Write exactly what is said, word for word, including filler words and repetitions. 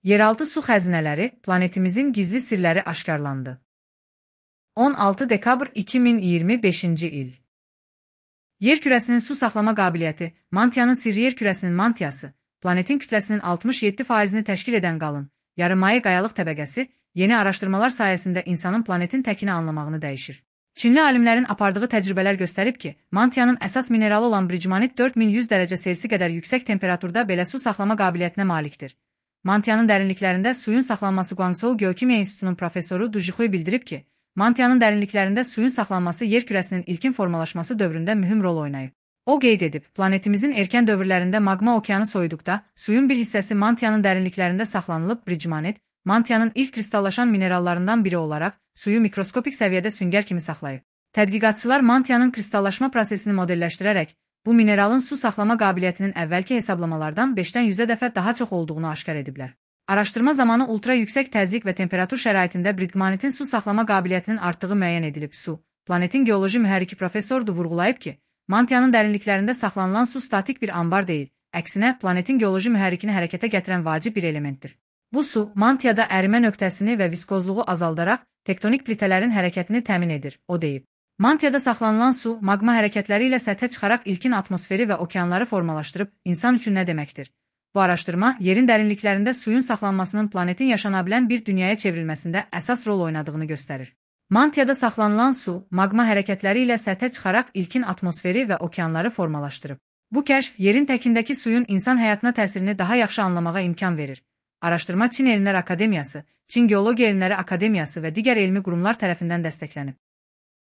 Yeraltı su xəzinələri, planetimizin gizli sirləri aşkarlandı. on altı dekabr iki min iyirmi beşinci il. Yer kürəsinin su saxlama qabiliyyəti, mantiyanın sirri yer kürəsinin mantiyası, planetin kütləsinin altmış yeddi faizini təşkil edən qalın, yarımaye qayalıq təbəqəsi, yeni araşdırmalar sayəsində insanın planetin təkini anlamağını dəyişir. Çinli alimlərin apardığı təcrübələr göstərib ki, mantiyanın əsas mineralı olan bridgemanit dörd min yüz dərəcə Selsi qədər yüksək temperaturda belə su saxlama qabiliyyətinə malikdir. Mantiyanın dərinliklərində suyun saxlanması Guangzhou Geokimiya İnstitutunun professoru Du Jixui bildirib ki, mantiyanın dərinliklərində suyun saxlanması yer kürəsinin ilkin formalaşması dövründə mühüm rol oynayıb. O qeyd edib, planetimizin erkən dövrlərində maqma okeanı soyuduqda, suyun bir hissəsi mantiyanın dərinliklərində saxlanılıb bridgemanit, mantiyanın ilk kristallaşan minerallarından biri olaraq, suyu mikroskopik səviyyədə süngər kimi saxlayıb. Tədqiqatçılar mantiyanın kristallaşma prosesini modelləşdirərək, bu mineralın su saxlama qabiliyyətinin əvvəlki hesablamalardan beşdən yüzə dəfə daha çox olduğunu aşkar ediblər. Araşdırma zamanı ultra yüksək təzyiq və temperatur şəraitində bridgemanitin su saxlama qabiliyyətinin artdığı müəyyən edilib. Su, planetin geoloji mühərriki professordur vurğulayıb ki, mantiyanın dərinliklərində saxlanılan su statik bir ambar deyil, əksinə planetin geoloji mühərrikini hərəkətə gətirən vacib bir elementdir. Bu su, mantiyada ərimə nöqtəsini və viskozluğu azaldaraq, tektonik plitələrin hərəkətini təmin edir, o deyib. Mantiyada saxlanılan su, maqma hərəkətləri ilə səthə çıxaraq ilkin atmosferi və okeanları formalaşdırıb, insan üçün nə deməkdir? Bu araşdırma, yerin dərinliklərində suyun saxlanmasının planetin yaşana bilən bir dünyaya çevrilməsində əsas rol oynadığını göstərir. Mantiyada saxlanılan su, maqma hərəkətləri ilə səthə çıxaraq ilkin atmosferi və okeanları formalaşdırıb. Bu kəşf, yerin təkindəki suyun insan həyatına təsirini daha yaxşı anlamağa imkan verir. Araşdırma Çin Elmlər Akademiyası, Çin Geologiya Elmləri Akademiyası və digər elmi qurumlar tərəfindən dəstəklənib.